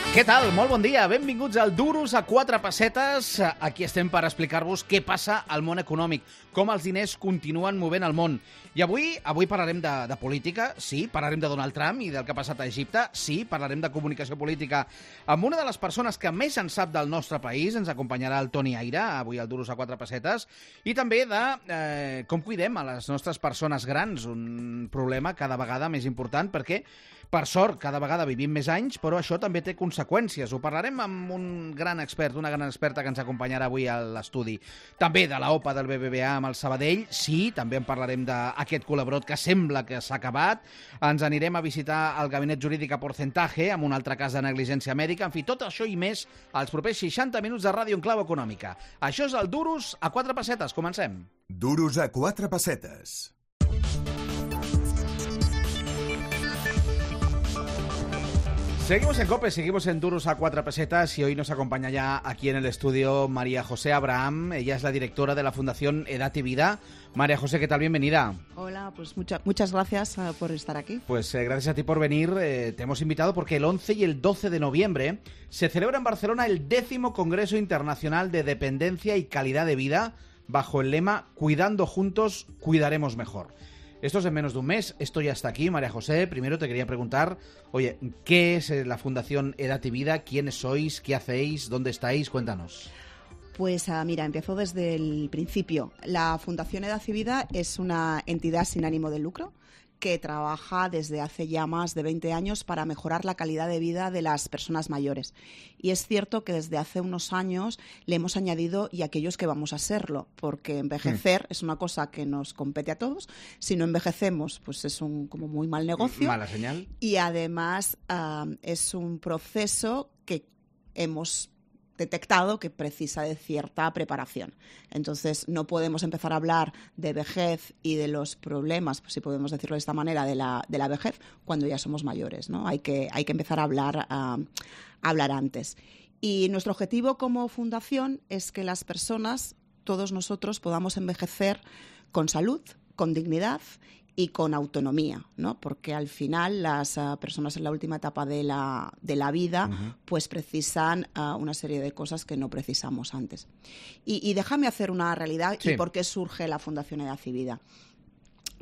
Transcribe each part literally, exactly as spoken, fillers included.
Què tal? Molt bon dia. Benvinguts al Duros a quatre pessetes. Aquí estem per explicar-vos què passa al món econòmic, com els diners continuen movent el món. I avui avui parlarem de, de política, sí, parlarem de Donald Trump i del que ha passat a Egipte, sí, parlarem de comunicació política amb una de les persones que més en sap del nostre país. Ens acompanyarà el Toni Aira, avui al Duros a quatre pessetes, i també de eh, com cuidem a les nostres persones grans, un problema cada vegada més important perquè, per sort, cada vegada vivim més anys, però això també té conseqüències. Ho parlarem amb un gran expert, una gran experta que ens acompanyarà avui a l'estudi. També de la OPA del B B V A amb el Sabadell, sí, també en parlarem d'aquest col·laborat que sembla que s'ha acabat. Ens anirem a visitar el gabinet jurídic a Porcentaje, amb un altre cas de negligència mèdica. En fi, tot això i més als propers seixanta minuts de Ràdio en Clau Econòmica. Això és el Duros a quatre pessetes. Comencem. Duros a quatre pessetes. Seguimos en COPE, seguimos en Duros a cuatro pesetas y hoy nos acompaña ya aquí en el estudio María José Abraham. Ella es la directora de la Fundación Edad y Vida. María José, ¿qué tal? Bienvenida. Hola, pues mucha, muchas gracias uh, por estar aquí. Pues eh, gracias a ti por venir. Eh, te hemos invitado porque el once y el doce de noviembre se celebra en Barcelona el décimo Congreso Internacional de Dependencia y Calidad de Vida bajo el lema Cuidando juntos, cuidaremos mejor. Esto es en menos de un mes, esto ya está aquí. María José, primero te quería preguntar, oye, ¿qué es la Fundación Edad y Vida? ¿Quiénes sois? ¿Qué hacéis? ¿Dónde estáis? Cuéntanos. Pues uh, mira, empiezo desde el principio. La Fundación Edad y Vida es una entidad sin ánimo de lucro que trabaja desde hace ya más de veinte años para mejorar la calidad de vida de las personas mayores. Y es cierto que desde hace unos años le hemos añadido y aquellos que vamos a serlo, porque envejecer mm. es una cosa que nos compete a todos. Si no envejecemos, pues es un como muy mal negocio. Mala señal. Y además uh, es un proceso que hemos detectado que precisa de cierta preparación. Entonces, no podemos empezar a hablar de vejez y de los problemas, pues, si podemos decirlo de esta manera, de la, de la vejez, cuando ya somos mayores, ¿no? Hay que, hay que empezar a hablar, a, a hablar antes. Y nuestro objetivo como fundación es que las personas, todos nosotros, podamos envejecer con salud, con dignidad y con autonomía, ¿no? Porque al final las uh, personas en la última etapa de la, de la vida uh-huh. pues precisan uh, una serie de cosas que no precisamos antes. Y, y déjame hacer una realidad sí. y por qué surge la Fundación Edad y Vida.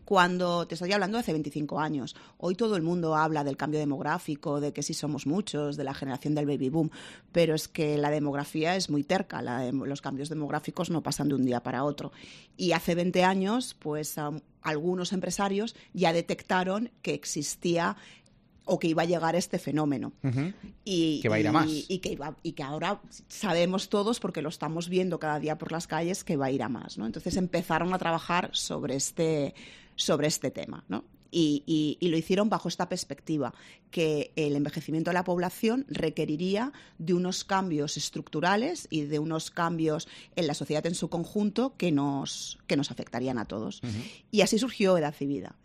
Cuando te estoy hablando de hace veinticinco años, hoy todo el mundo habla del cambio demográfico, de que sí somos muchos, de la generación del baby boom, pero es que la demografía es muy terca, la de, los cambios demográficos no pasan de un día para otro. Y hace veinte años, pues um, algunos empresarios ya detectaron que existía o que iba a llegar este fenómeno. Uh-huh. y, que va a ir a más. Y, y, que iba, y que ahora sabemos todos, porque lo estamos viendo cada día por las calles, que va a ir a más, ¿no? Entonces empezaron a trabajar sobre este, sobre este tema, ¿no? Y, y, y lo hicieron bajo esta perspectiva, que el envejecimiento de la población requeriría de unos cambios estructurales y de unos cambios en la sociedad en su conjunto que nos, que nos afectarían a todos. Uh-huh. Y así surgió Edad y Vida,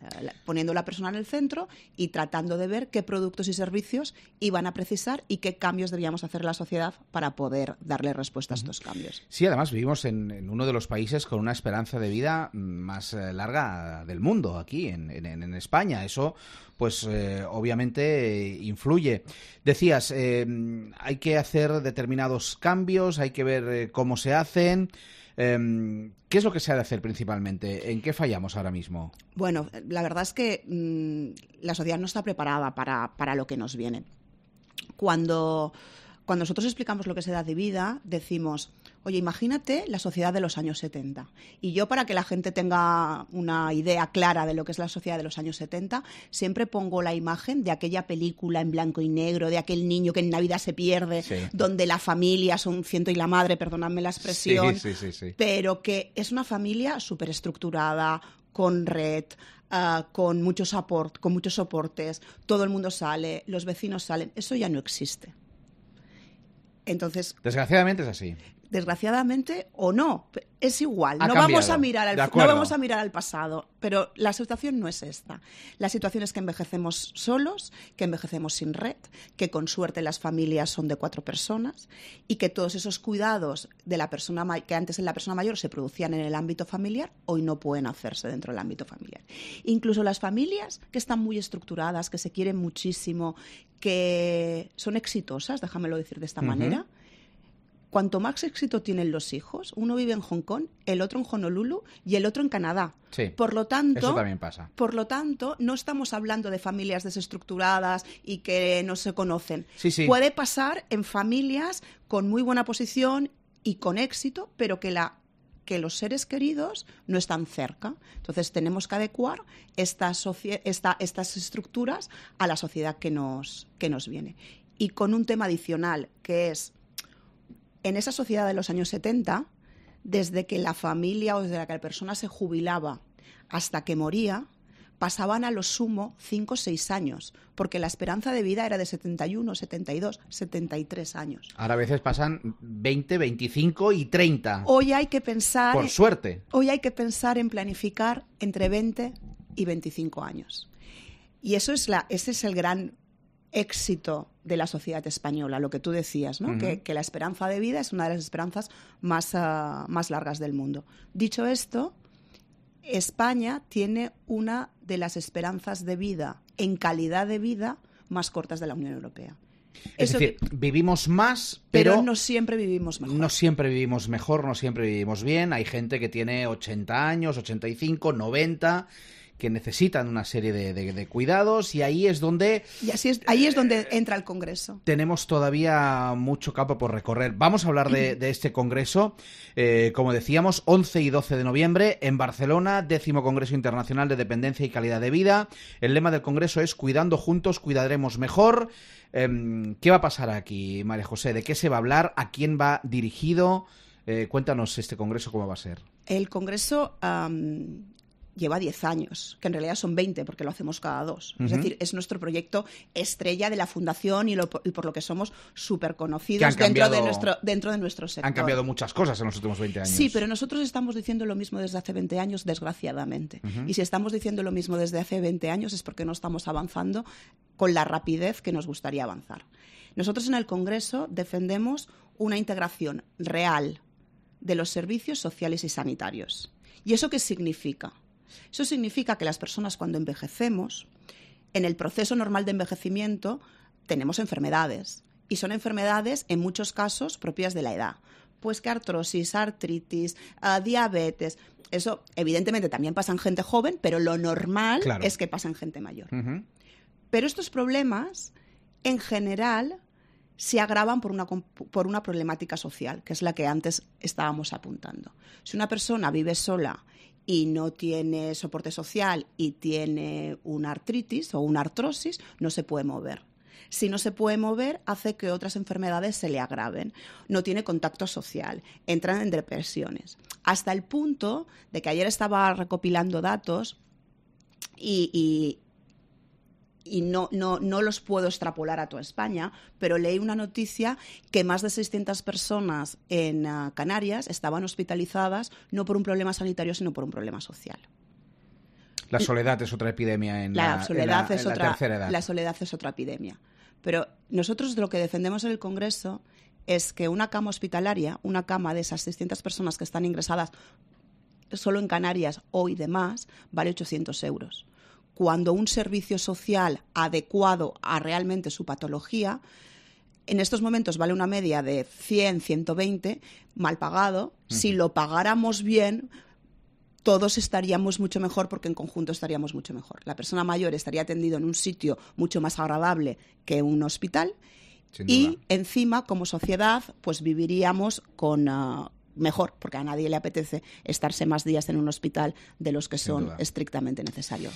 poniendo a la persona en el centro y tratando de ver qué productos y servicios iban a precisar y qué cambios debíamos hacer en la sociedad para poder darle respuesta uh-huh. a estos cambios. Sí, además vivimos en, en uno de los países con una esperanza de vida más eh, larga del mundo, aquí en, en, en España. Eso, pues eh, obviamente eh, influye. Decías, eh, hay que hacer determinados cambios, hay que ver eh, cómo se hacen. Eh, ¿Qué es lo que se ha de hacer principalmente? ¿En qué fallamos ahora mismo? Bueno, la verdad es que mmm, la sociedad no está preparada para, para lo que nos viene. Cuando... Cuando nosotros explicamos lo que es edad de vida, decimos, oye, imagínate la sociedad de los años setenta. Y yo, para que la gente tenga una idea clara de lo que es la sociedad de los años setenta, siempre pongo la imagen de aquella película en blanco y negro, de aquel niño que en Navidad se pierde, sí. donde la familia son un ciento y la madre, perdonadme la expresión, sí, sí, sí, sí. pero que es una familia súper estructurada, con red, uh, con mucho support, con muchos soportes, todo el mundo sale, los vecinos salen. Eso ya no existe. Entonces, desgraciadamente es así. desgraciadamente o no, es igual. Ha No cambiado. vamos a mirar al De no acuerdo. vamos a mirar al pasado, pero la situación no es esta. La situación es que envejecemos solos, que envejecemos sin red, que con suerte las familias son de cuatro personas y que todos esos cuidados de la persona ma- que antes en la persona mayor se producían en el ámbito familiar, hoy no pueden hacerse dentro del ámbito familiar. Incluso las familias que están muy estructuradas, que se quieren muchísimo, que son exitosas, déjamelo decir de esta Ujú. manera. Cuanto más éxito tienen los hijos, uno vive en Hong Kong, el otro en Honolulu y el otro en Canadá. Sí, Por lo tanto, eso también pasa. por lo tanto, no estamos hablando de familias desestructuradas y que no se conocen. Sí, sí. Puede pasar en familias con muy buena posición y con éxito, pero que la que los seres queridos no están cerca. Entonces tenemos que adecuar esta socie- esta- estas estructuras a la sociedad que nos, que nos viene. Y con un tema adicional, que es, en esa sociedad de los años setenta, desde que la familia o desde que la persona se jubilaba hasta que moría, pasaban a lo sumo cinco o seis años, porque la esperanza de vida era de setenta y uno, setenta y dos, setenta y tres años. Ahora a veces pasan veinte, veinticinco y treinta. Hoy hay que pensar, Por suerte. hoy hay que pensar en planificar entre veinte y veinticinco años. Y eso es la, ese es el gran éxito de la sociedad española, lo que tú decías, ¿no? Uh-huh. que, que la esperanza de vida es una de las esperanzas más, uh, más largas del mundo. Dicho esto, España tiene una de las esperanzas de vida, en calidad de vida, más cortas de la Unión Europea. Es Eso decir, que- vivimos más, pero, pero, no siempre vivimos mejor. no siempre vivimos mejor, no siempre vivimos bien. Hay gente que tiene ochenta años, ochenta y cinco, noventa, que necesitan una serie de, de- de cuidados, y ahí es donde Y así es, ahí es donde entra el Congreso. tenemos todavía mucho campo por recorrer. Vamos a hablar de, de este congreso, eh, como decíamos, once y doce de noviembre en Barcelona, décimo Congreso Internacional de Dependencia y Calidad de Vida. El lema del congreso es Cuidando juntos, cuidaremos mejor. Eh, ¿Qué va a pasar aquí, María José? ¿De qué se va a hablar? ¿A quién va dirigido? Eh, cuéntanos este congreso, ¿cómo va a ser? El Congreso am, lleva diez años, que en realidad son veinte, porque lo hacemos cada dos. Uh-huh. Es decir, es nuestro proyecto estrella de la Fundación y, lo, y por lo que somos súper Que conocidos han dentro, cambiado- de nuestro, dentro de nuestro sector. Han cambiado muchas cosas en los últimos veinte años. Sí, pero nosotros estamos diciendo lo mismo desde hace veinte años, desgraciadamente. Uh-huh. Y si estamos diciendo lo mismo desde hace veinte años es porque no estamos avanzando con la rapidez que nos gustaría avanzar. Nosotros en el Congreso defendemos una integración real de los servicios sociales y sanitarios. ¿Y eso qué significa? Eso significa que las personas, cuando envejecemos, en el proceso normal de envejecimiento tenemos enfermedades, y son enfermedades en muchos casos propias de la edad. Pues que artrosis, artritis, uh, diabetes. Eso evidentemente también pasa en gente joven, pero lo normal Claro. es que pasa en gente mayor. Uh-huh. Pero estos problemas, en general, se agravan por una, por una problemática social, que es la que antes estábamos apuntando. Si una persona vive sola y no tiene soporte social y tiene una artritis o una artrosis, no se puede mover. Si no se puede mover, hace que otras enfermedades se le agraven. No tiene contacto social, entran en depresiones. Hasta el punto de que ayer estaba recopilando datos y... y y no, no, no los puedo extrapolar a toda España, pero leí una noticia que más de seiscientas personas en uh, Canarias estaban hospitalizadas no por un problema sanitario, sino por un problema social. La soledad es otra epidemia en la, La soledad en la- es en la otra, tercera edad. la soledad es otra epidemia. Pero nosotros lo que defendemos en el Congreso es que una cama hospitalaria, una cama de esas seiscientas personas que están ingresadas solo en Canarias o y demás, vale ochocientos euros. Cuando un servicio social adecuado a realmente su patología, en estos momentos vale una media de cien, ciento veinte, mal pagado. Uh-huh. Si lo pagáramos bien, todos estaríamos mucho mejor, porque en conjunto estaríamos mucho mejor. La persona mayor estaría atendido en un sitio mucho más agradable que un hospital. Y encima, como sociedad, pues viviríamos con... Uh, mejor, porque a nadie le apetece estarse más días en un hospital de los que son estrictamente necesarios.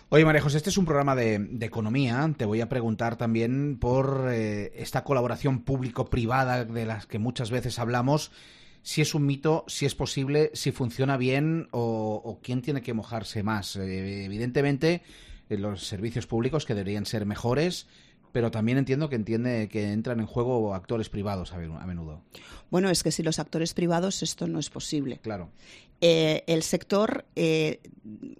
Oye, María José, este es un programa de, de economía. Te voy a preguntar también por eh, esta colaboración público-privada de las que muchas veces hablamos, si es un mito, si es posible, si funciona bien o, o quién tiene que mojarse más. Eh, evidentemente, eh, los servicios públicos que deberían ser mejores, pero también entiendo que entiende que entran en juego actores privados a menudo. Bueno, es que si los actores privados esto no es posible. Claro. Eh, el sector, eh,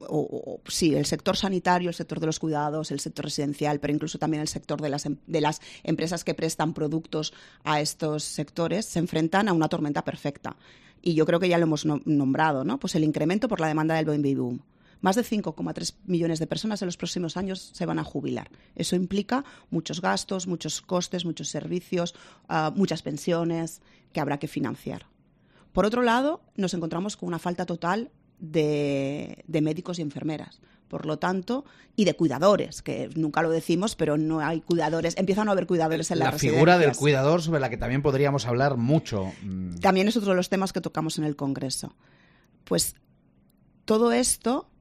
o, o, sí, el sector sanitario, el sector de los cuidados, el sector residencial, pero incluso también el sector de las, de las empresas que prestan productos a estos sectores, se enfrentan a una tormenta perfecta. Y yo creo que ya lo hemos nombrado, ¿no? Pues el incremento por la demanda del baby boom. Más de cinco coma tres millones de personas en los próximos años se van a jubilar. Eso implica muchos gastos, muchos costes, muchos servicios, uh, muchas pensiones que habrá que financiar. Por otro lado, nos encontramos con una falta total de, de médicos y enfermeras. Por lo tanto, y de cuidadores, que nunca lo decimos, pero no hay cuidadores. Empiezan a no haber cuidadores en las residencias. La figura del cuidador, sobre la que también podríamos hablar mucho. También es otro de los temas que tocamos en el Congreso. Pues todo esto,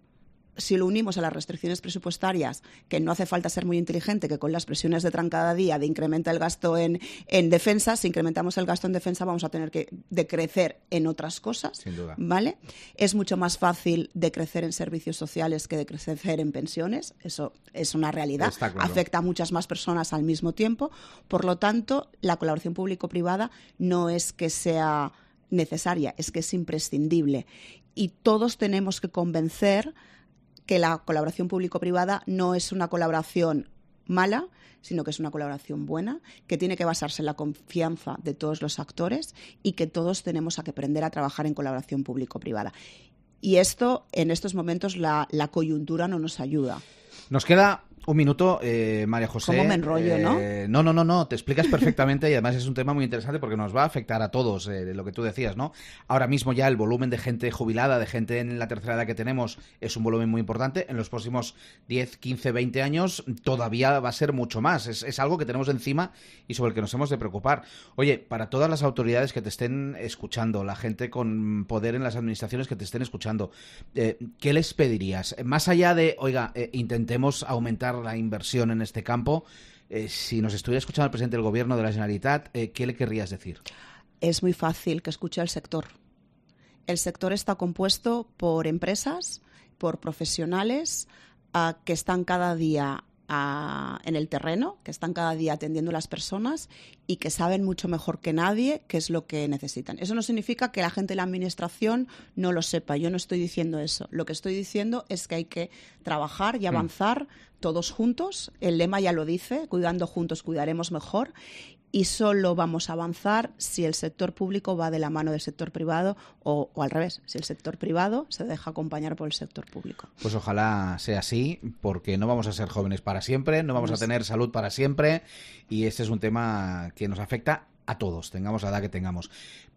si lo unimos a las restricciones presupuestarias, que no hace falta ser muy inteligente, que con las presiones de Trump cada día de incrementa el gasto en, en defensa, si incrementamos el gasto en defensa vamos a tener que decrecer en otras cosas. Sin duda. ¿Vale? Es mucho más fácil decrecer en servicios sociales que decrecer en pensiones. Eso es una realidad. Está claro. Afecta a muchas más personas al mismo tiempo. Por lo tanto, la colaboración público-privada no es que sea necesaria, es que es imprescindible. Y todos tenemos que convencer que la colaboración público-privada no es una colaboración mala, sino que es una colaboración buena, que tiene que basarse en la confianza de todos los actores y que todos tenemos que aprender a trabajar en colaboración público-privada. Y esto, en estos momentos, la, la coyuntura no nos ayuda. Nos queda un minuto, eh, María José. ¿Cómo me enrollo, eh, no? No, no, no, no, te explicas perfectamente y además es un tema muy interesante porque nos va a afectar a todos, eh, lo que tú decías, ¿no? Ahora mismo ya el volumen de gente jubilada, de gente en la tercera edad que tenemos es un volumen muy importante. En los próximos diez, quince, veinte años todavía va a ser mucho más. Es, es algo que tenemos encima y sobre el que nos hemos de preocupar. Oye, para todas las autoridades que te estén escuchando, la gente con poder en las administraciones que te estén escuchando, eh, ¿qué les pedirías? Más allá de, oiga, eh, intentemos aumentar la inversión en este campo, eh, si nos estuviera escuchando el presidente del Gobierno de la Generalitat, eh, ¿qué le querrías decir? Es muy fácil que escuche al sector. El sector está compuesto por empresas, por profesionales uh, que están cada día uh, en el terreno, que están cada día atendiendo a las personas y que saben mucho mejor que nadie qué es lo que necesitan. Eso no significa que la gente de la administración no lo sepa. Yo no estoy diciendo eso. Lo que estoy diciendo es que hay que trabajar y avanzar mm. todos juntos. El lema ya lo dice, cuidando juntos cuidaremos mejor. Y solo vamos a avanzar si el sector público va de la mano del sector privado o, o al revés, si el sector privado se deja acompañar por el sector público. Pues ojalá sea así, porque no vamos a ser jóvenes para siempre, no vamos a tener salud para siempre y este es un tema que nos afecta a todos, tengamos la edad que tengamos.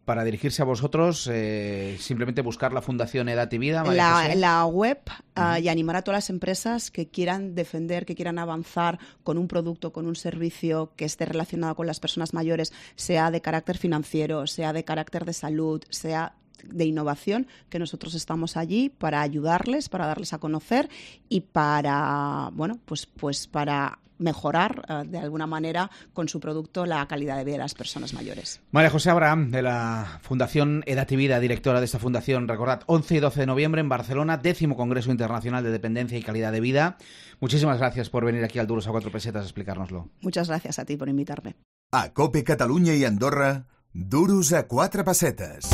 Para dirigirse a vosotros, eh, simplemente buscar la Fundación Edad y Vida. María la, José. la web uh, y animar a todas las empresas que quieran defender, que quieran avanzar con un producto, con un servicio que esté relacionado con las personas mayores, sea de carácter financiero, sea de carácter de salud, sea de innovación, que nosotros estamos allí para ayudarles, para darles a conocer y para, bueno, pues, pues para mejorar uh, de alguna manera con su producto la calidad de vida de las personas mayores. María José Abraham, de la Fundación Edad y Vida, directora de esta fundación. Recordad, once y doce de noviembre en Barcelona, décimo Congreso Internacional de Dependencia y Calidad de Vida. Muchísimas gracias por venir aquí al Duros a Cuatro Pesetas a explicárnoslo. Muchas gracias a ti por invitarme. A COPE Catalunya i Andorra, Duros a Quatre Pessetes.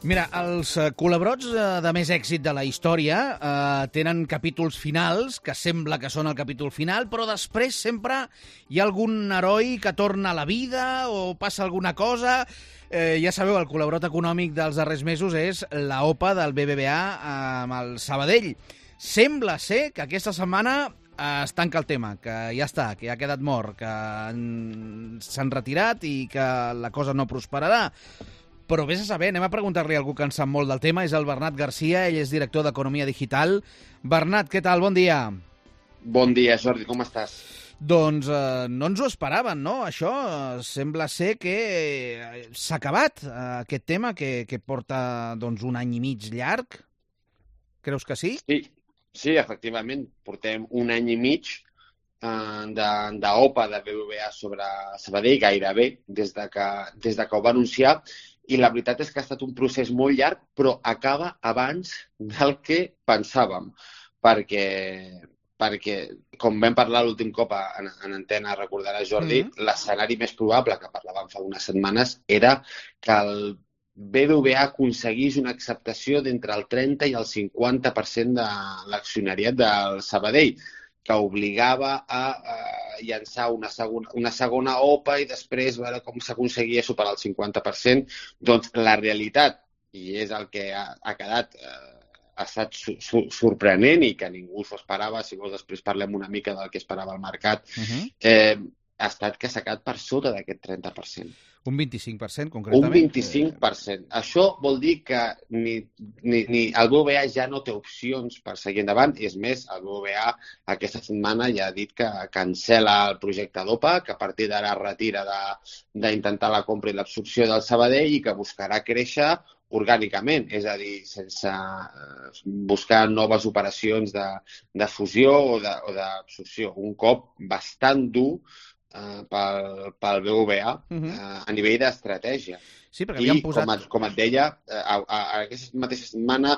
Mira, els culebrots de més èxit de la història eh, tenen capítols finals, que sembla que són el capítol final, però després sempre hi ha algun heroi que torna a la vida o passa alguna cosa. Eh, ja sabeu, el culebrot econòmic dels darrers mesos és la O P A del B B V A amb el Sabadell. Sembla ser que aquesta setmana es tanca el tema, que ja està, que ja ha quedat mort, que s'han retirat i que la cosa no prosperarà. Però vés a saber, anem a preguntar-li a algú que en sap molt del tema, és el Bernat Garcia, ell és director d'Economia Digital. Bernat, què tal? Bon dia. Bon dia, Jordi, com estàs? Doncs eh, no ens ho esperaven, no? Això eh, sembla ser que eh, s'ha acabat, eh, aquest tema, que, que porta doncs, un any i mig llarg. Creus que sí? Sí, sí, efectivament. Portem un any i mig eh, d'O P A de B B V A sobre Sabadell, gairebé, des de que, des de que ho va anunciar. I la veritat és que ha estat un procés molt llarg, però acaba abans del que pensàvem. perquè, perquè com vam parlar l'últim cop en, en antena, recordaràs, Jordi, mm. l'escenari més probable, que parlàvem fa unes setmanes, era que el B B V A aconseguís una acceptació d'entre el trenta i el cinquanta per cent de l'accionariat del Sabadell, que obligava a, a llançar una segona, una segona O P A i després veure com s'aconseguia superar el cinquanta per cent. Doncs la realitat, i és el que ha, ha quedat, eh, ha estat su su sorprenent i que ningú s'ho esperava, si vols després parlem una mica del que esperava el mercat, uh-huh. eh, ha estat que s'ha quedat per sota d'aquest trenta per cent. Un vint-i-cinc per cent, concretament? Un vint-i-cinc per cent. Eh... Això vol dir que ni, ni, ni el B B V A ja no té opcions per seguir endavant. I és més, el B B V A aquesta setmana ja ha dit que cancela el projecte d'O P A, que a partir d'ara retira d'intentar la compra i l'absorció del Sabadell i que buscarà créixer orgànicament, és a dir, sense buscar noves operacions de, de fusió o d'absorció. Un cop bastant dur Uh, pel, pel B B V A uh-huh. uh, a nivell d'estratègia. Sí, perquè havien posat... com, et, com et deia, uh, a, a, a aquesta mateixa setmana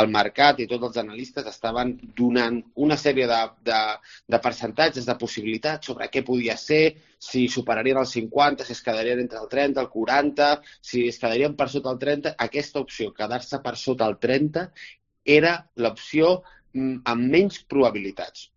el mercat i tots els analistes estaven donant una sèrie de, de, de percentatges, de possibilitats sobre què podia ser, si superarien el cinquanta, si es quedarien entre el trenta, el quaranta, si es quedarien per sota el trenta. Aquesta opció, quedar-se per sota el trenta, era l'opció amb menys probabilitats.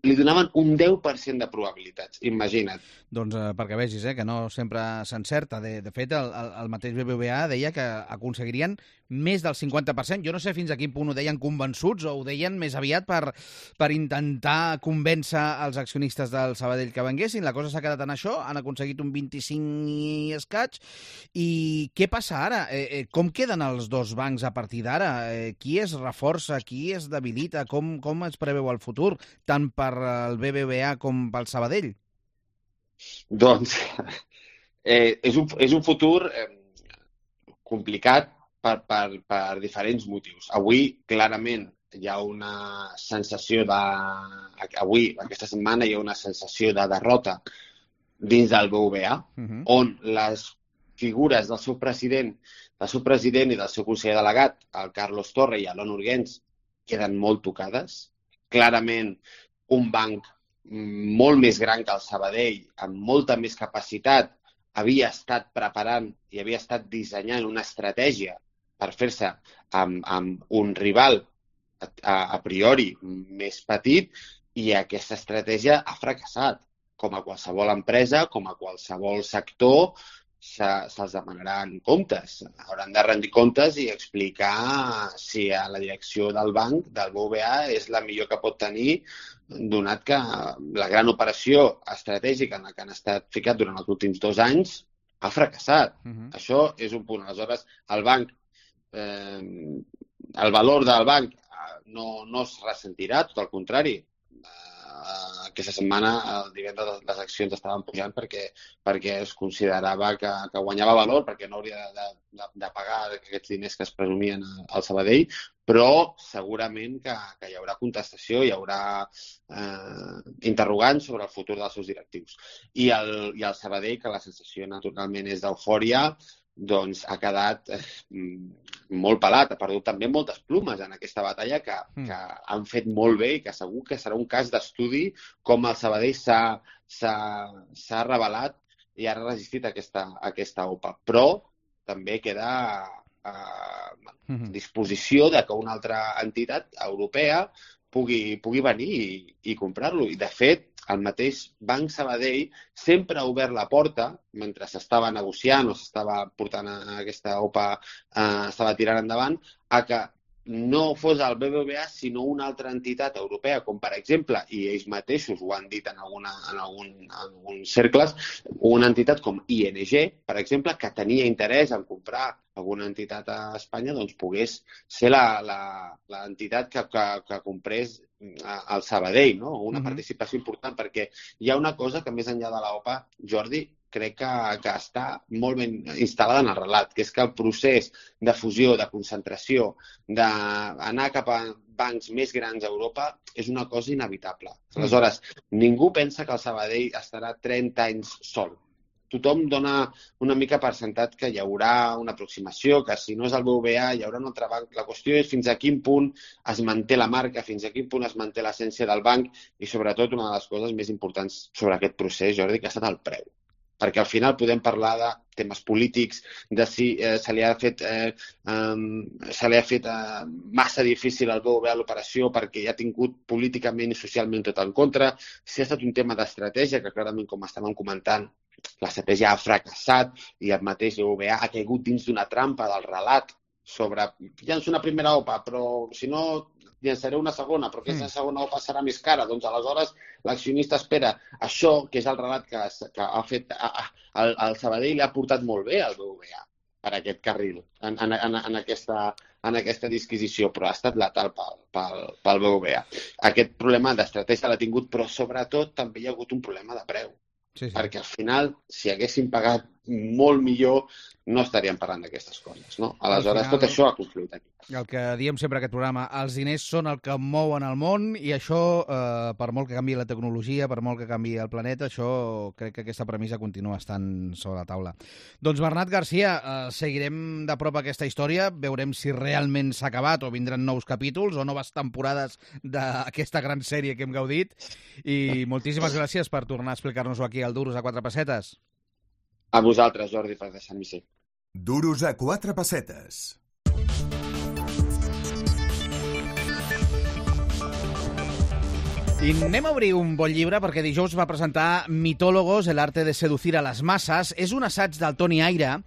Li donaven un deu per cent de probabilitats, imagina't. Doncs eh, perquè vegis, eh, que no sempre s'encerta. De, de fet, el, el, el mateix B B V A deia que aconseguirien més del cinquanta per cent. Jo no sé fins a quin punt ho deien convençuts o ho deien més aviat per, per intentar convèncer els accionistes del Sabadell que venguessin. La cosa s'ha quedat en això, han aconseguit un vint-i-cinc i escaig. I què passa ara? Eh, eh, com queden els dos bancs a partir d'ara? Eh, qui es reforça, qui es debilita? Com, com es preveu el futur, tant per el B B V A com pel Sabadell? Doncs eh, és, un, és un futur eh, complicat per, per, per diferents motius. Avui, clarament, hi ha una sensació de... Avui, aquesta setmana, hi ha una sensació de derrota dins del B B V A, uh-huh. on les figures del seu president, del seu president i del seu conseller delegat, el Carlos Torre i l'On Urgens, queden molt tocades. Clarament, un banc molt més gran que el Sabadell, amb molta més capacitat, havia estat preparant i havia estat dissenyant una estratègia per fer-se amb, amb un rival a, a priori més petit, i aquesta estratègia ha fracassat. Com a qualsevol empresa, com a qualsevol sector, se'ls demanaran comptes. Hauran de rendir comptes i explicar si a la direcció del banc, del B B V A, és la millor que pot tenir, donat que la gran operació estratègica en la que han estat ficat durant els últims dos anys ha fracassat. Uh-huh. Això és un punt. Aleshores, el banc, eh, el valor del banc no, no es ressentirà, tot el contrari. Aquesta setmana, el divendres, les accions estaven pujant perquè, perquè es considerava que, que guanyava valor, perquè no hauria de, de, de pagar aquests diners que es presumien al Sabadell, però segurament que, que hi haurà contestació, hi haurà eh, interrogants sobre el futur dels seus directius. I el, i el Sabadell, que la sensació naturalment és d'eufòria, doncs ha quedat eh, molt pelat, ha perdut també moltes plumes en aquesta batalla que, mm. que han fet molt bé i que segur que serà un cas d'estudi com el Sabadell s'ha revelat i ha resistit a aquesta, a aquesta O P A. Però també queda a mm. disposició de que una altra entitat europea pugui, pugui venir i, i comprar-lo. I, de fet, el mateix Banc Sabadell sempre ha obert la porta, mentre s'estava negociant o s'estava portant a aquesta O P A, eh, estava tirant endavant, a que no fos el B B V A sinó una altra entitat europea, com per exemple, i ells mateixos ho han dit en, alguna, en, algun, en alguns cercles, una entitat com I N G, per exemple, que tenia interès en comprar alguna entitat a Espanya, doncs pogués ser l'entitat que, que, que comprés al Sabadell, no? Una uh-huh. participació important, perquè hi ha una cosa que més enllà de la O P A, Jordi, crec que, que està molt ben instal·lada en el relat, que és que el procés de fusió, de concentració, d'anar cap a bancs més grans a Europa és una cosa inevitable. Aleshores, ningú pensa que el Sabadell estarà trenta anys sol. tothom dona una mica per sentat que hi haurà una aproximació, que si no és el B B V A hi haurà un altre banc. La qüestió és fins a quin punt es manté la marca, fins a quin punt es manté l'essència del banc i, sobretot, una de les coses més importants sobre aquest procés, Jordi, que ha estat el preu. Perquè al final podem parlar de temes polítics, de si eh, se li ha fet, eh, um, se li ha fet eh, massa difícil al B B V A l'operació perquè ja ha tingut políticament i socialment tot en contra, si ha estat un tema d'estratègia, que clarament, com estàvem comentant, l'estratègia ha fracassat i el mateix B B V A ha caigut dins d'una trampa del relat sobre llanço una primera O P A, però si no llançaré una segona, però aquesta segona O P A serà més cara. Doncs aleshores l'accionista espera això, que és el relat que, que ha fet el, el Sabadell, ha portat molt bé al B B V A per aquest carril, en, en, en, en, aquesta, en aquesta disquisició, però ha estat letal pel, pel, pel B B V A. Aquest problema d'estratègia l'ha tingut, però sobretot també hi ha hagut un problema de preu. Sí, sí. Perquè al final, si haguessin pagat molt millor, no estaríem parlant d'aquestes coses, no? Aleshores, final, tot això ha confluït aquí. El que diem sempre aquest programa, els diners són el que mouen el món i això, eh, per molt que canviï la tecnologia, per molt que canviï el planeta, això crec que aquesta premissa continua estant sobre la taula. Doncs Bernat Garcia, eh, seguirem de prop aquesta història, veurem si realment s'ha acabat o vindran nous capítols o noves temporades d'aquesta gran sèrie que hem gaudit i moltíssimes gràcies per tornar a explicar-nos-ho aquí al Duros a quatre pessetes. A vosaltres, Jordi, per deixar-m'hi ser. Duros a quatre pessetes. I anem a obrir un bon llibre perquè dijous va presentar Mitólogos, el arte de seducir a les masses. És un assaig del Toni Aira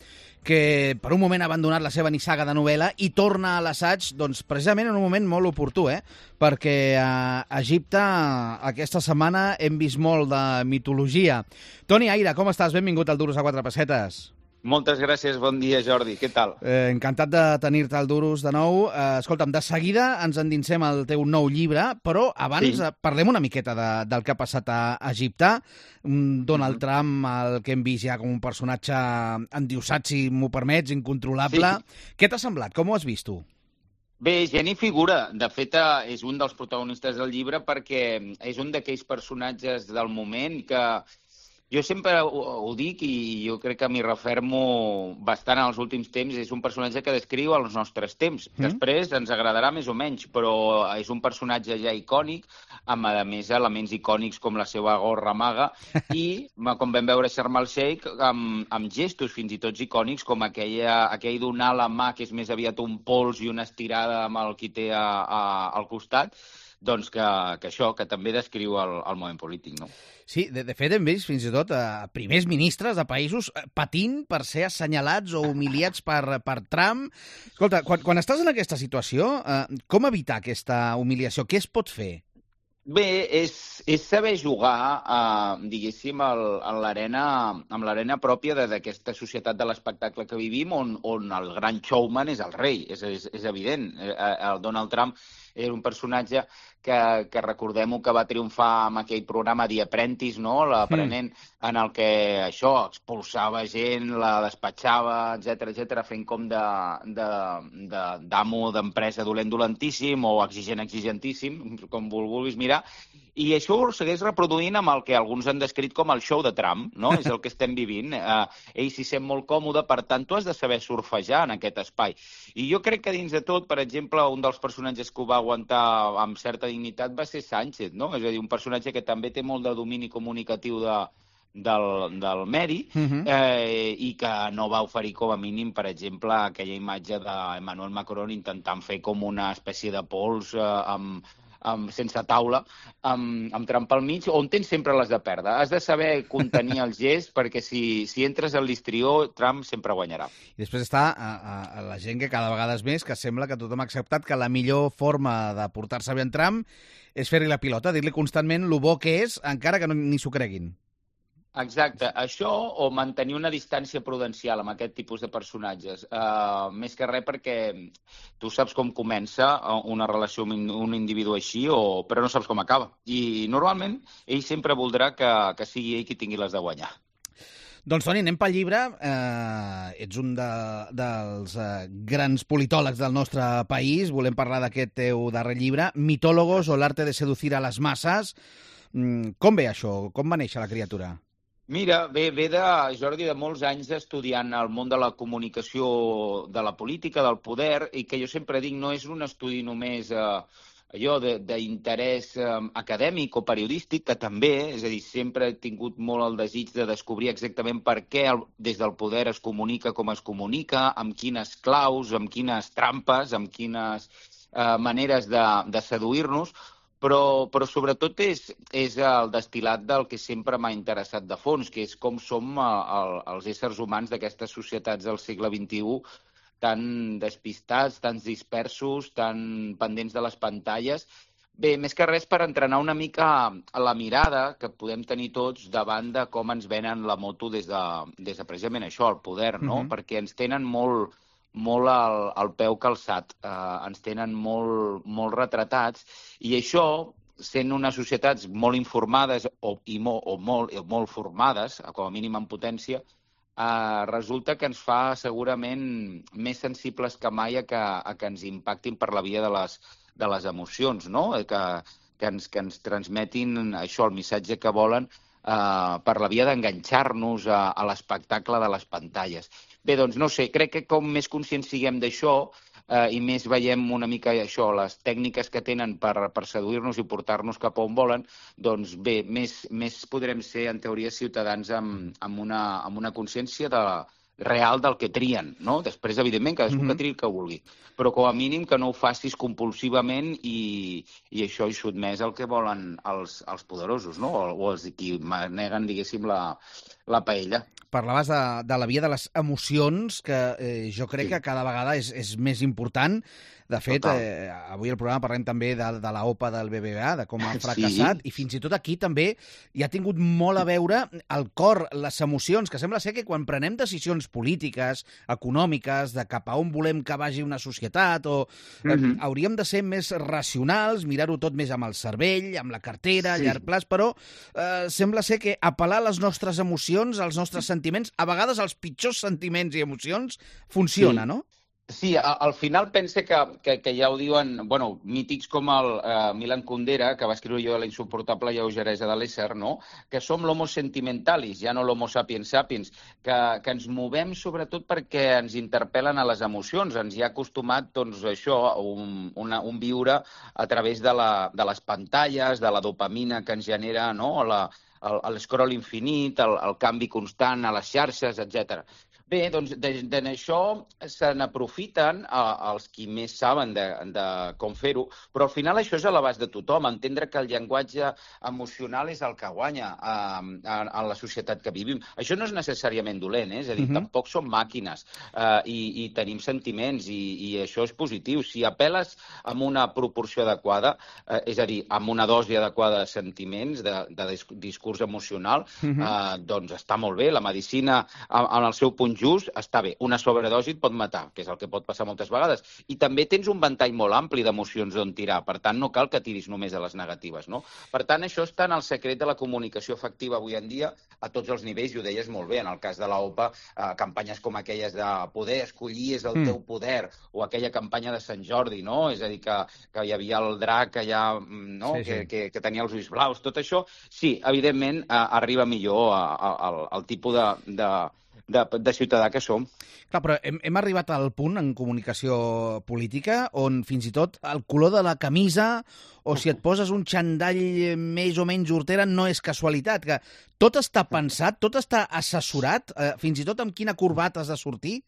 que per un moment ha abandonat la seva nissaga de novel·la i torna a l'assaig doncs, precisament en un moment molt oportú, eh? Perquè a Egipte aquesta setmana hem vist molt de mitologia. Toni Aira, com estàs? Benvingut al Duros a quatre pessetes. Moltes gràcies, bon dia, Jordi. Què tal? Eh, encantat de tenir-te al Duros de nou. Eh, escolta'm, de seguida ens endinsem al teu nou llibre, però abans sí. parlem una miqueta de, del que ha passat a Egipte. Donald mm-hmm. Trump, el que hem vist ja com un personatge endiosat, si m'ho permets, incontrolable. Sí. Què t'ha semblat? Com ho has vist tu? Bé, gent i figura. De fet, és un dels protagonistes del llibre perquè és un d'aquells personatges del moment que jo sempre ho, ho dic i jo crec que m'hi refermo bastant en els últims temps. És un personatge que descriu els nostres temps. Mm. Després ens agradarà més o menys, però és un personatge ja icònic, amb, a més, elements icònics com la seva gorra maga i, com vam veure a Sharm el-Sheikh, amb, amb gestos fins i tot icònics, com aquella, aquell donar la mà, que és més aviat un pols i una estirada amb el qui té a, a, al costat, doncs que, que això, que també descriu el, el moment polític, no? Sí, de, de fet hem vist fins i tot a primers ministres de països patint per ser assenyalats o humiliats per, per Trump. Escolta, quan, quan estàs en aquesta situació, eh, com evitar aquesta humiliació? Què es pot fer? Bé, és, és saber jugar, eh, diguéssim, el, en l'arena amb l'arena pròpia d'aquesta societat de l'espectacle que vivim, on, on el gran showman és el rei, és, és, és evident. El Donald Trump era un personatge que, que recordem-ho, que va triomfar amb aquell programa The Apprentice, no? L'aprenent, mm. en el que això expulsava gent, la despatxava, etcètera, etcètera, fent com de, de, de, d'amo d'empresa dolent dolentíssim o exigent exigentíssim, com vulguis mirar. I això ho segueix reproduint amb el que alguns han descrit com el show de Trump, no? És el que estem vivint. Eh, ell s'hi sent molt còmode, per tant, tu has de saber surfejar en aquest espai. I jo crec que dins de tot, per exemple, un dels personatges que ho va aguantar amb certa dignitat va ser Sánchez, no? És a dir, un personatge que també té molt de domini comunicatiu de, del, del medi, uh-huh. eh, i que no va oferir com a mínim, per exemple, aquella imatge d'Emmanuel Macron intentant fer com una espècie de pols eh, amb Um, sense taula, amb, amb Trump al mig, on tens sempre les de perdre. Has de saber contenir el gest, perquè si, si entres al listrió, Trump sempre guanyarà. I després està a, a, a la gent que cada vegada és més, que sembla que tothom ha acceptat que la millor forma de portar-se bé en Trump és fer-li la pilota, dir-li constantment lo bo que és, encara que no, ni s'ho creguin. Exacte, això o mantenir una distància prudencial amb aquest tipus de personatges. Uh, més que res perquè tu saps com comença una relació amb un individu així, o, però no saps com acaba. I normalment ell sempre voldrà que, que sigui ell qui tingui les de guanyar. Doncs, Toni, anem pel llibre. Eh, ets un de, dels eh, grans politòlegs del nostre país. Volem parlar d'aquest teu darrer llibre, Mitólogos o l'arte de seducir a les masses. Mm, com ve això? Com va néixer la criatura? Mira, ve, ve de, Jordi, de molts anys estudiant el món de la comunicació, de la política, del poder, i que jo sempre dic, no és un estudi només eh, allò d'interès eh, acadèmic o periodístic, que també, és a dir, sempre he tingut molt el desig de descobrir exactament per què el, des del poder es comunica com es comunica, amb quines claus, amb quines trampes, amb quines eh, maneres de, de seduir-nos, però, però sobretot és, és el destil·lat del que sempre m'ha interessat de fons, que és com som el, els éssers humans d'aquestes societats del segle vint-i-u, tan despistats, tan dispersos, tan pendents de les pantalles. Bé, més que res per entrenar una mica a la mirada que podem tenir tots davant de com ens venen la moto des de, des de precisament això, el poder, no? Uh-huh. Perquè ens tenen molt... molt al, al peu calçat, eh, ens tenen molt, molt retratats, i això, sent unes societats molt informades o, i mo, o, molt, o molt formades, com a mínim en potència, eh, resulta que ens fa segurament més sensibles que mai a que, a que ens impactin per la via de les, de les emocions, no? que, que, ens, que ens transmetin això, el missatge que volen, Uh, per la via d'enganxar-nos a, a l'espectacle de les pantalles. Bé, doncs no sé, crec que com més conscients siguem d'això uh, i més veiem una mica això, les tècniques que tenen per, per seduir-nos i portar-nos cap on volen, doncs bé, més, més podrem ser, en teoria, ciutadans amb, amb una, amb una consciència de, real del que trien, no? Després, evidentment, cadascú mm-hmm. que triï el que vulgui. Però com a mínim que no ho facis compulsivament i, i això hi sotmès el que volen els, els poderosos, no? O, o els qui maneguen, diguéssim, la, la paella. Parlaves de, de la via de les emocions, que eh, jo crec sí. que cada vegada és, és més important. De fet, eh, avui al programa parlem també de, de la O P A del B B V A, de com ha fracassat, sí. i fins i tot aquí també hi ha tingut molt a veure el cor, les emocions, que sembla ser que quan prenem decisions polítiques, econòmiques, de cap a on volem que vagi una societat, o eh, mm-hmm. hauríem de ser més racionals, mirar-ho tot més amb el cervell, amb la cartera, sí. a llarg plaç, però eh, sembla ser que apel·lar a les nostres emocions, als nostres sentiments, a vegades els pitjors sentiments i emocions, funciona, sí. no? Sí, al final pense que, que, que ja ho diuen, bueno, mítics com el uh, Milan Kundera, que va escriure jo de la insuportable lleugeresa de l'ésser, no? Que som l'homo sentimentalis, ja no l'homo sapiens sapiens, que, que ens movem sobretot perquè ens interpel·len a les emocions, ens hi ha acostumat, doncs, això, un, una, un viure a través de, la, de les pantalles, de la dopamina que ens genera, no?, la, el, el scroll infinit, el, el canvi constant a les xarxes, etcètera. Bé, doncs d'això se n'aprofiten els qui més saben de, de com fer-ho, però al final això és a l'abast de tothom, entendre que el llenguatge emocional és el que guanya eh, en, en la societat que vivim. Això no és necessàriament dolent, eh? És a dir, uh-huh. tampoc som màquines eh, i, i tenim sentiments i, i això és positiu. Si apel·les amb una proporció adequada, eh, és a dir, amb una dosi adequada de sentiments, de, de discurs emocional, uh-huh. eh, doncs està molt bé. La medicina, en el seu punt just, està bé. Una sobredosi et pot matar, que és el que pot passar moltes vegades. I també tens un ventall molt ampli d'emocions d'on tirar. Per tant, no cal que tiris només a les negatives, no? Per tant, això està en el secret de la comunicació efectiva avui en dia a tots els nivells, i ho deies molt bé. En el cas de la O P A, eh, campanyes com aquelles de poder escollir és el mm. teu poder, o aquella campanya de Sant Jordi, no? És a dir, que, que hi havia el drac allà, no? Sí, sí. Que, que, que tenia els ulls blaus. Tot això, sí, evidentment, eh, arriba millor a, a, al, al tipus de... de De, de ciutadà que som. Clar, però hem, hem arribat al punt en comunicació política on fins i tot el color de la camisa o si et poses un xandall més o menys hortera no és casualitat, que tot està pensat, tot està assessorat, eh, fins i tot amb quina corbata has de sortir?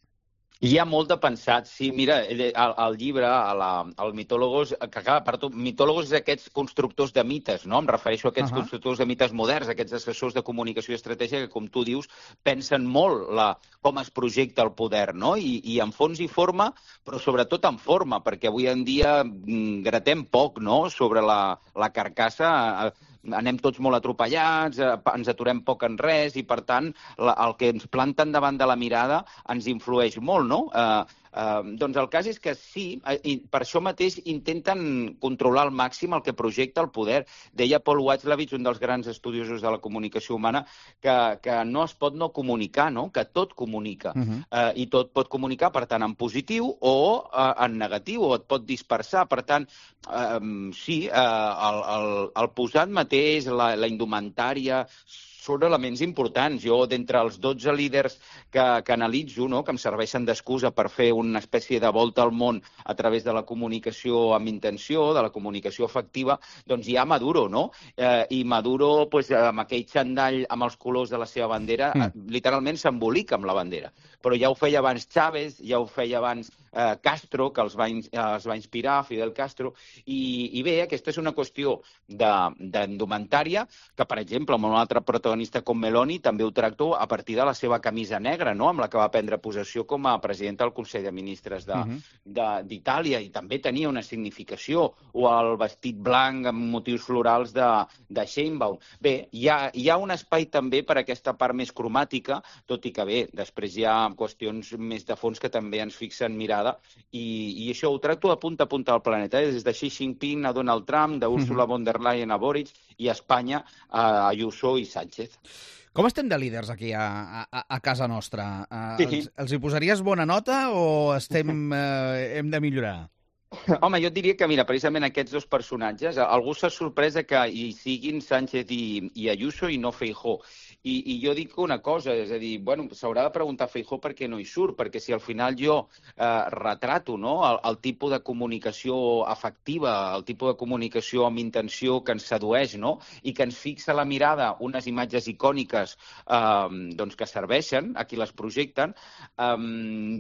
Hi ha molt de pensat, sí. Mira, el, el llibre, el, el Mitòlogos, que acaba per tot, Mitòlogos és aquests constructors de mites, no? Em refereixo a aquests uh-huh. constructors de mites moderns, aquests assessors de comunicació i estratègia que, com tu dius, pensen molt la, com es projecta el poder, no? I, i en fons i forma, però sobretot en forma, perquè avui en dia gratem poc, no?, sobre la, la carcassa. Anem tots molt atropellats, ens aturem poc en res i, per tant, la, el que ens planten davant de la mirada ens influeix molt, no? Eh, eh, doncs el cas és que sí, i per això mateix intenten controlar al màxim el que projecta el poder. Deia Paul Watzlawick, un dels grans estudiosos de la comunicació humana, que, que no es pot no comunicar, no? Que tot comunica. Uh-huh. eh, I tot pot comunicar, per tant, en positiu o eh, en negatiu, o et pot dispersar. Per tant, eh, sí, eh, el, el, el posat mateix, la, la indumentària, són elements importants. Jo, d'entre els dotze líders que, que analitzo, no, que em serveixen d'excusa per fer una espècie de volta al món a través de la comunicació amb intenció, de la comunicació efectiva, doncs hi ha Maduro, no? Eh, I Maduro, pues, amb aquell xandall amb els colors de la seva bandera, mm. literalment s'embolica amb la bandera. Però ja ho feia abans Chávez, ja ho feia abans eh, Castro, que els va, in, eh, els va inspirar, Fidel Castro, i, i bé, aquesta és una qüestió d'indumentària que, per exemple, amb un altre protagonista com Meloni també ho tracto a partir de la seva camisa negra, no?, amb la que va prendre possessió com a presidenta del Consell de Ministres d'Itàlia, uh-huh. i també tenia una significació, o el vestit blanc amb motius florals de, de Sheinbaum. Bé, hi ha, hi ha un espai també per aquesta part més cromàtica, tot i que bé, després hi ha qüestions més de fons que també ens fixen mirada, i, i això ho tracto de punta a punta del planeta, eh? Des de Xi Jinping a Donald Trump, d'Ursula uh-huh. von der Leyen a Boric, i a Espanya a Ayuso i Sánchez. Com estem de líders aquí a, a, a casa nostra? Uh, sí. els, els hi posaries bona nota o estem, uh, hem de millorar? Home, jo et diria que, mira, precisament aquests dos personatges, algú s'ha sorprès que hi siguin Sánchez i, i Ayuso i no Feijóo. I, I jo dic una cosa, és a dir, bueno, s'haurà de preguntar a Feijóo per què no hi surt, perquè si al final jo eh, retrato, no?, el, el tipus de comunicació efectiva, el tipus de comunicació amb intenció que ens sedueix, no?, i que ens fixa la mirada unes imatges icòniques eh, doncs que serveixen a qui les projecten, eh,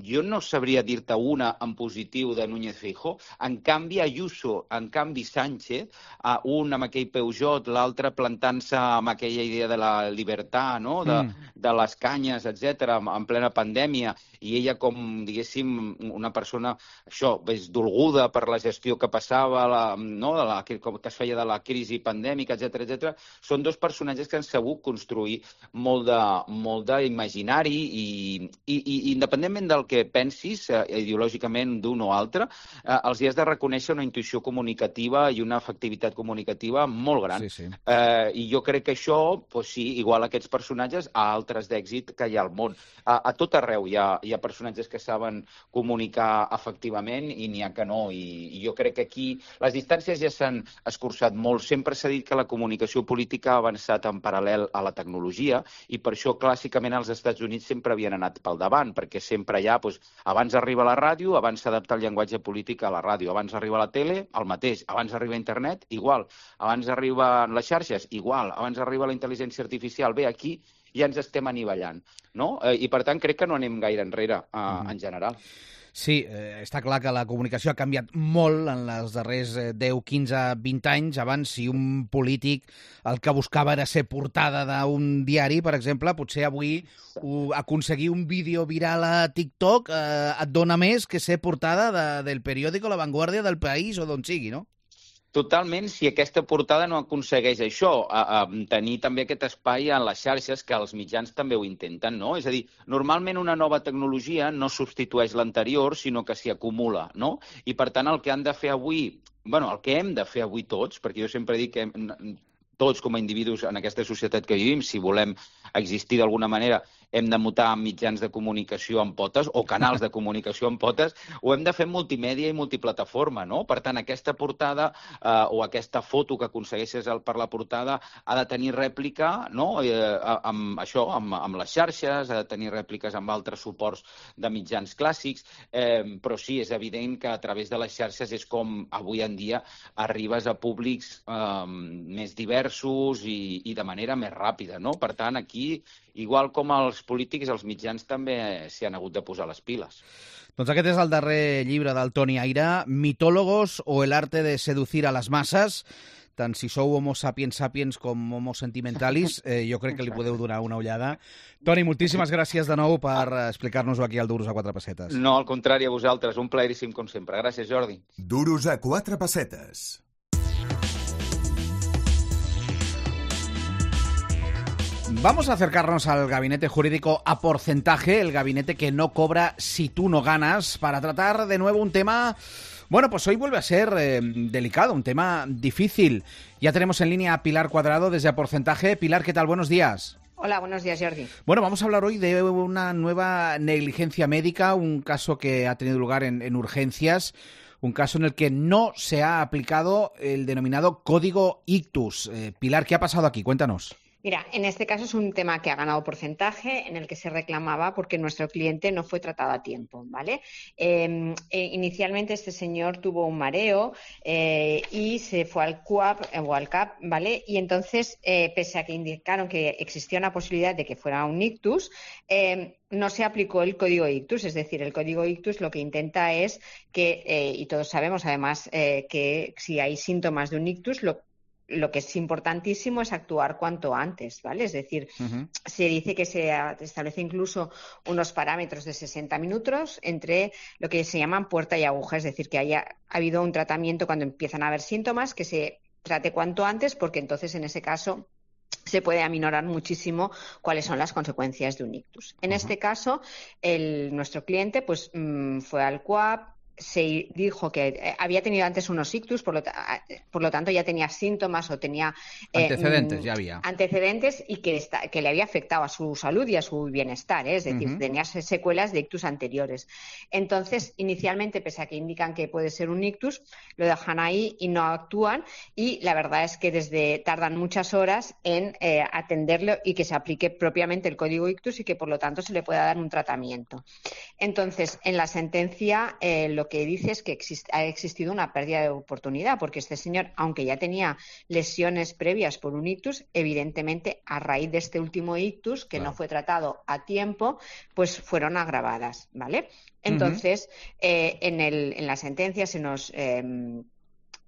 jo no sabria dir-te una en positiu de Núñez Feijóo. En canvi, Ayuso, en canvi Sánchez, eh, un amb aquell Peugeot, l'altre plantant-se amb aquella idea de la llibertat, no?, de, mm. de les canyes, etcètera, en plena pandèmia, i ella com, diguéssim, una persona, això, més dolguda per la gestió que passava, la, no?, de la, que, que es feia de la crisi pandèmica, etcètera, etcètera, són dos personatges que han sabut construir molt de, molt d'imaginari i, i, i independentment del que pensis eh, ideològicament d'un o altre, eh, els hi has de reconèixer una intuïció comunicativa i una efectivitat comunicativa molt gran. Sí, sí. Eh, I jo crec que això, pues sí, igual aquests personatges a altres d'èxit que hi ha al món. A, a tot arreu hi ha, hi ha personatges que saben comunicar efectivament i n'hi ha que no. I, I jo crec que aquí les distàncies ja s'han escurçat molt. Sempre s'ha dit que la comunicació política ha avançat en paral·lel a la tecnologia i per això clàssicament els Estats Units sempre havien anat pel davant, perquè sempre hi ha, doncs, abans arriba la ràdio, abans s'adapta el llenguatge polític a la ràdio, abans arriba la tele, el mateix, abans arriba internet, igual, abans arriben les xarxes, igual, abans arriba la intel·ligència artificial, bé, aquí ja ens estem anivellant, no? Eh, I per tant crec que no anem gaire enrere eh, mm. en general. Sí, eh, està clar que la comunicació ha canviat molt en els darrers deu, quinze, vint anys. Abans, si un polític el que buscava era ser portada d'un diari, per exemple, potser avui o aconseguir un vídeo viral a TikTok eh, et dona més que ser portada de, del periòdico La Vanguardia, del País o d'on sigui, no? Totalment, si aquesta portada no aconsegueix això, a, a tenir també aquest espai en les xarxes, que els mitjans també ho intenten, no? És a dir, normalment una nova tecnologia no substitueix l'anterior, sinó que s'hi acumula, no? I per tant el que han de fer avui, bueno, el que hem de fer avui tots, perquè jo sempre dic que hem, tots com a individus en aquesta societat que vivim, si volem existir d'alguna manera, hem de mutar mitjans de comunicació en potes o canals de comunicació en potes, ho hem de fer en multimèdia i multiplataforma, no? Per tant, aquesta portada eh, o aquesta foto que aconsegueixes per la portada ha de tenir rèplica, no?, eh, amb això, amb, amb les xarxes, ha de tenir rèpliques amb altres suports de mitjans clàssics, eh, però sí, és evident que a través de les xarxes és com avui en dia arribes a públics eh, més diversos i, i de manera més ràpida, no? Per tant, aquí, igual com els polítics, els mitjans també s'hi han hagut de posar les piles. Doncs aquest és el darrer llibre del Toni Aira, Mitólogos o el arte de seducir a les masses. Tant si sou homo sapiens sapiens com homo sentimentalis, eh, jo crec que li podeu donar una ullada. Toni, moltíssimes gràcies de nou per explicar-nos-ho aquí al Duros a quatre pessetes. No, al contrari, a vosaltres. Un plaeríssim, com sempre. Gràcies, Jordi. Duros a quatre pessetes. Vamos a acercarnos al gabinete jurídico a porcentaje, el gabinete que no cobra si tú no ganas, para tratar de nuevo un tema, bueno, pues hoy vuelve a ser eh, delicado, un tema difícil. Ya tenemos en línea a Pilar Cuadrado desde A Porcentaje. Pilar, ¿qué tal? Buenos días. Hola, buenos días, Jordi. Bueno, vamos a hablar hoy de una nueva negligencia médica, un caso que ha tenido lugar en, en urgencias, un caso en el que no se ha aplicado el denominado Código Ictus. Eh, Pilar, ¿qué ha pasado aquí? Cuéntanos. Mira, en este caso es un tema que ha ganado porcentaje, en el que se reclamaba porque nuestro cliente no fue tratado a tiempo, ¿vale? Eh, eh, inicialmente este señor tuvo un mareo eh, y se fue al C U A P eh, o al C A P, ¿vale? Y entonces, eh, pese a que indicaron que existía una posibilidad de que fuera un ictus, eh, no se aplicó el código ictus, es decir, el código ictus lo que intenta es que, eh, y todos sabemos además eh, que si hay síntomas de un ictus, lo Lo que es importantísimo es actuar cuanto antes, ¿vale? Es decir, uh-huh. se dice que se establece incluso unos parámetros de sesenta minutos entre lo que se llaman puerta y aguja, es decir, que haya habido un tratamiento cuando empiezan a haber síntomas, que se trate cuanto antes, porque entonces en ese caso se puede aminorar muchísimo cuáles son las consecuencias de un ictus. En uh-huh. este caso, el, nuestro cliente pues mmm, fue al C U A P, se dijo que había tenido antes unos ictus, por lo, por lo tanto ya tenía síntomas o tenía eh, antecedentes, ya había antecedentes y que, está, que le había afectado a su salud y a su bienestar, ¿eh? Es decir, uh-huh. tenía secuelas de ictus anteriores. Entonces, inicialmente, pese a que indican que puede ser un ictus, lo dejan ahí y no actúan, y la verdad es que desde tardan muchas horas en eh, atenderlo y que se aplique propiamente el código ictus y que por lo tanto se le pueda dar un tratamiento. Entonces, en la sentencia eh, lo que dice es que existe, ha existido una pérdida de oportunidad, porque este señor, aunque ya tenía lesiones previas por un ictus, evidentemente a raíz de este último ictus, que claro. no fue tratado a tiempo, pues fueron agravadas, ¿vale? Entonces, uh-huh. eh, en, el, en la sentencia se nos eh,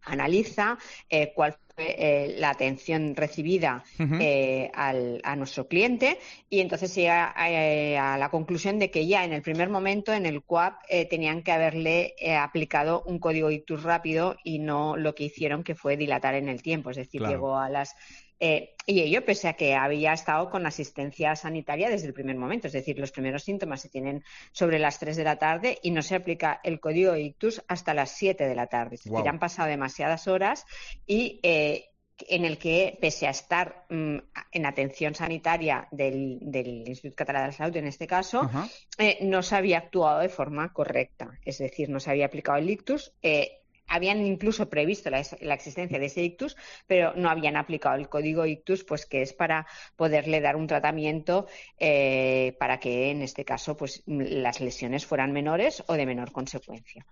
analiza eh, cuál fue eh, la atención recibida uh-huh. eh, al, a nuestro cliente, y entonces llega a, a, a la conclusión de que ya en el primer momento en el C U A P eh, tenían que haberle eh, aplicado un código ictus rápido y no lo que hicieron, que fue dilatar en el tiempo, es decir, claro. llegó a las... Eh, y ello pese a que había estado con asistencia sanitaria desde el primer momento, es decir, los primeros síntomas se tienen sobre las tres de la tarde y no se aplica el código ictus hasta las siete de la tarde. Es decir, wow. han pasado demasiadas horas y eh, en el que, pese a estar mm, en atención sanitaria del, del Instituto Català de la Salud, en este caso, uh-huh. eh, no se había actuado de forma correcta, es decir, no se había aplicado el ictus. Eh, Habían incluso previsto la, la existencia de ese ictus, pero no habían aplicado el código ictus, pues que es para poderle dar un tratamiento eh, para que, en este caso, pues las lesiones fueran menores o de menor consecuencia.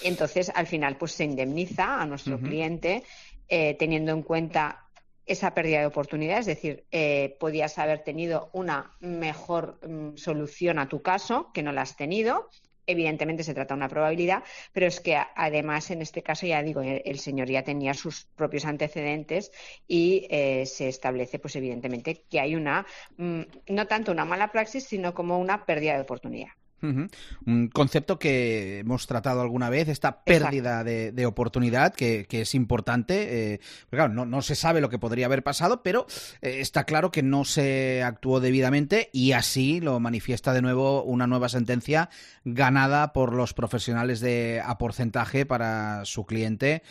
Entonces, al final, pues se indemniza a nuestro uh-huh. cliente eh, teniendo en cuenta esa pérdida de oportunidad, es decir, eh, podías haber tenido una mejor mm, solución a tu caso, que no la has tenido. Evidentemente se trata de una probabilidad, pero es que además en este caso, ya digo, el señor ya tenía sus propios antecedentes y eh, se establece, pues evidentemente, que hay una, mmm, no tanto una mala praxis, sino como una pérdida de oportunidad. Uh-huh. Un concepto que hemos tratado alguna vez, esta pérdida de, de oportunidad, que, que es importante. Eh, claro, no, no se sabe lo que podría haber pasado, pero eh, está claro que no se actuó debidamente, y así lo manifiesta de nuevo una nueva sentencia ganada por los profesionales de a porcentaje para su cliente.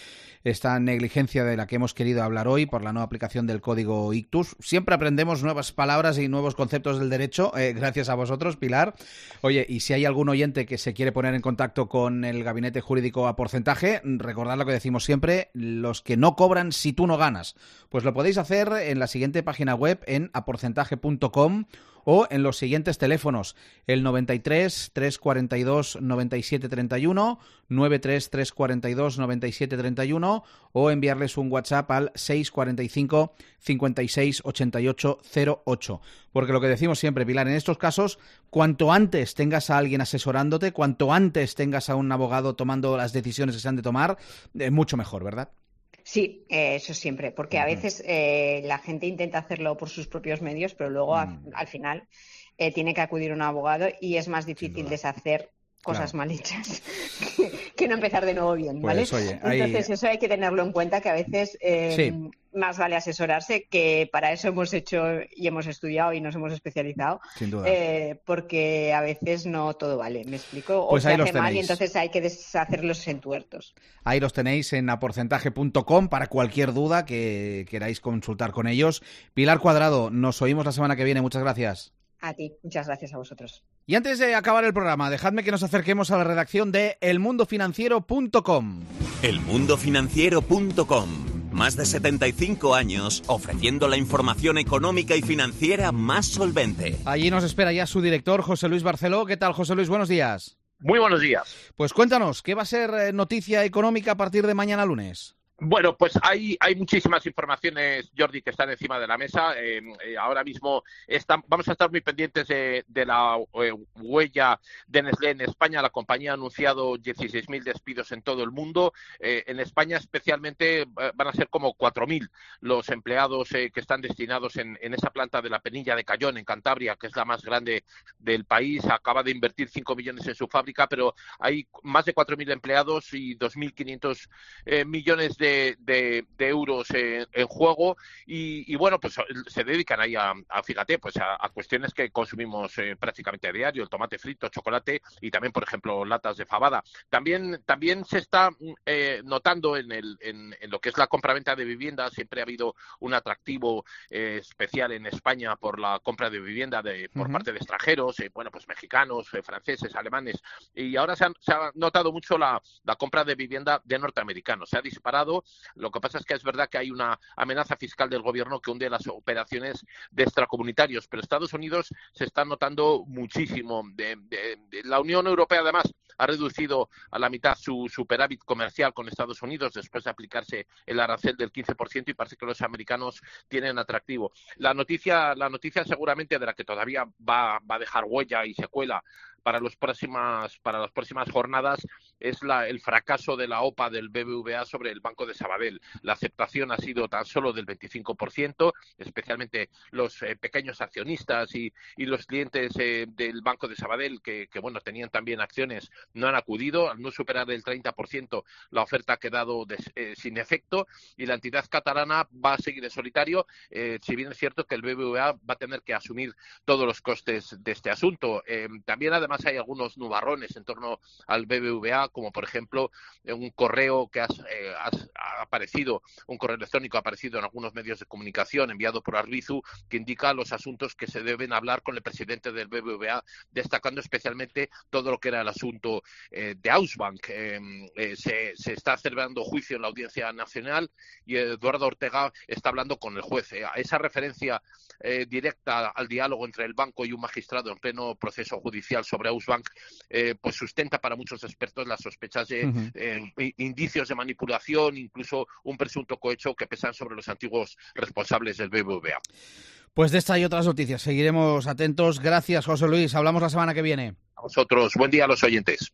Esta negligencia de la que hemos querido hablar hoy por la no aplicación del código ictus. Siempre aprendemos nuevas palabras y nuevos conceptos del derecho, eh, gracias a vosotros, Pilar. Oye, y si hay algún oyente que se quiere poner en contacto con el Gabinete Jurídico a Porcentaje, recordad lo que decimos siempre: los que no cobran si tú no ganas. Pues lo podéis hacer en la siguiente página web, en a porcentaje punto com, o en los siguientes teléfonos: el noventa y tres, trescientos cuarenta y dos, noventa y siete treinta y uno, noventa y tres, trescientos cuarenta y dos, noventa y siete treinta y uno, o enviarles un WhatsApp al seis cuarenta y cinco, cincuenta y seis, ochenta y ocho cero ocho. Porque lo que decimos siempre, Pilar, en estos casos, cuanto antes tengas a alguien asesorándote, cuanto antes tengas a un abogado tomando las decisiones que se han de tomar, eh, mucho mejor, ¿verdad? Sí, eh, eso siempre, porque a veces eh, la gente intenta hacerlo por sus propios medios, pero luego a, al final eh, tiene que acudir a un abogado y es más difícil deshacer cosas claro. mal hechas que, que no empezar de nuevo bien, ¿vale? Pues, oye, hay... Entonces eso hay que tenerlo en cuenta, que a veces eh, sí. más vale asesorarse, que para eso hemos hecho y hemos estudiado y nos hemos especializado. Sin duda. Eh, porque a veces no todo vale, ¿me explico? O pues se ahí hace mal y entonces hay que deshacer los entuertos. Ahí los tenéis en a porcentaje punto com para cualquier duda que queráis consultar con ellos. Pilar Cuadrado, nos oímos la semana que viene. Muchas gracias. A ti, muchas gracias a vosotros. Y antes de acabar el programa, dejadme que nos acerquemos a la redacción de el mundo financiero punto com. el mundo financiero punto com, Más de setenta y cinco años ofreciendo la información económica y financiera más solvente. Allí nos espera ya su director, José Luis Barceló. ¿Qué tal, José Luis? Buenos días. Muy buenos días. Pues cuéntanos, ¿qué va a ser noticia económica a partir de mañana lunes? Bueno, pues hay, hay muchísimas informaciones, Jordi, que están encima de la mesa. Eh, eh, ahora mismo están, vamos a estar muy pendientes de, de la eh, huella de Nestlé en España. La compañía ha anunciado dieciséis mil despidos en todo el mundo. Eh, en España especialmente eh, van a ser como cuatro mil los empleados eh, que están destinados en, en esa planta de la Penilla de Cayón, en Cantabria, que es la más grande del país. Acaba de invertir cinco millones en su fábrica, pero hay más de cuatro mil empleados y dos mil quinientos eh, millones de De, de, de euros en, en juego y, y bueno, pues se dedican ahí a, a fíjate, pues a, a cuestiones que consumimos eh, prácticamente a diario, el tomate frito, chocolate y también, por ejemplo, latas de fabada. También, también se está eh, notando en, el, en, en lo que es la compraventa de vivienda. Siempre ha habido un atractivo eh, especial en España por la compra de vivienda de, por uh-huh. parte de extranjeros, eh, bueno, pues mexicanos, eh, franceses, alemanes, y ahora se, han, se ha notado mucho la, la compra de vivienda de norteamericanos. Se ha disparado. Lo que pasa es que es verdad que hay una amenaza fiscal del gobierno que hunde las operaciones de extracomunitarios, pero Estados Unidos se está notando muchísimo. De, de, de la Unión Europea, además, ha reducido a la mitad su superávit comercial con Estados Unidos después de aplicarse el arancel del quince por ciento y parece que los americanos tienen atractivo. La noticia, la noticia seguramente de la que todavía va, va a dejar huella y secuela para los próximas para las próximas jornadas es la, el fracaso de la O P A del B B V A sobre el Banco de Sabadell. La aceptación ha sido tan solo del veinticinco por ciento, especialmente los eh, pequeños accionistas y, y los clientes eh, del Banco de Sabadell que, que bueno tenían también acciones no han acudido. Al no superar el treinta por ciento la oferta ha quedado des, eh, sin efecto y la entidad catalana va a seguir en solitario, eh, si bien es cierto que el B B V A va a tener que asumir todos los costes de este asunto. Eh, también además Además hay algunos nubarrones en torno al B B V A, como por ejemplo un correo que has, eh, has, ha aparecido, un correo electrónico ha aparecido en algunos medios de comunicación enviado por Arbizu, que indica los asuntos que se deben hablar con el presidente del B B V A, destacando especialmente todo lo que era el asunto eh, de Ausbank. Eh, eh, se, se está celebrando juicio en la Audiencia Nacional y Eduardo Ortega está hablando con el juez. Eh, esa referencia eh, directa al diálogo entre el banco y un magistrado en pleno proceso judicial sobre Ausbank, eh, pues sustenta para muchos expertos las sospechas de uh-huh. eh, indicios de manipulación, incluso un presunto cohecho que pesan sobre los antiguos responsables del B B V A. Pues de esta y otras noticias seguiremos atentos. Gracias, José Luis. Hablamos la semana que viene. A vosotros. Buen día a los oyentes.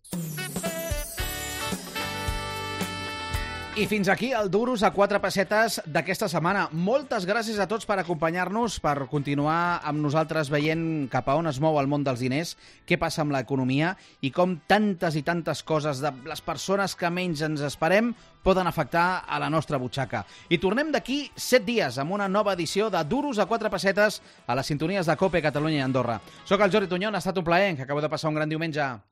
I fins aquí el Duros a quatre pessetes d'aquesta setmana. Moltes gràcies a tots per acompanyar-nos, per continuar amb nosaltres veient cap a on es mou el món dels diners, què passa amb l'economia i com tantes i tantes coses de les persones que menys ens esperem poden afectar a la nostra butxaca. I tornem d'aquí set dies amb una nova edició de Duros a quatre pessetes a les sintonies de COPE Catalunya i Andorra. Soc el Jordi Tuñón, ha estat un plaer, que acabo de passar un gran diumenge.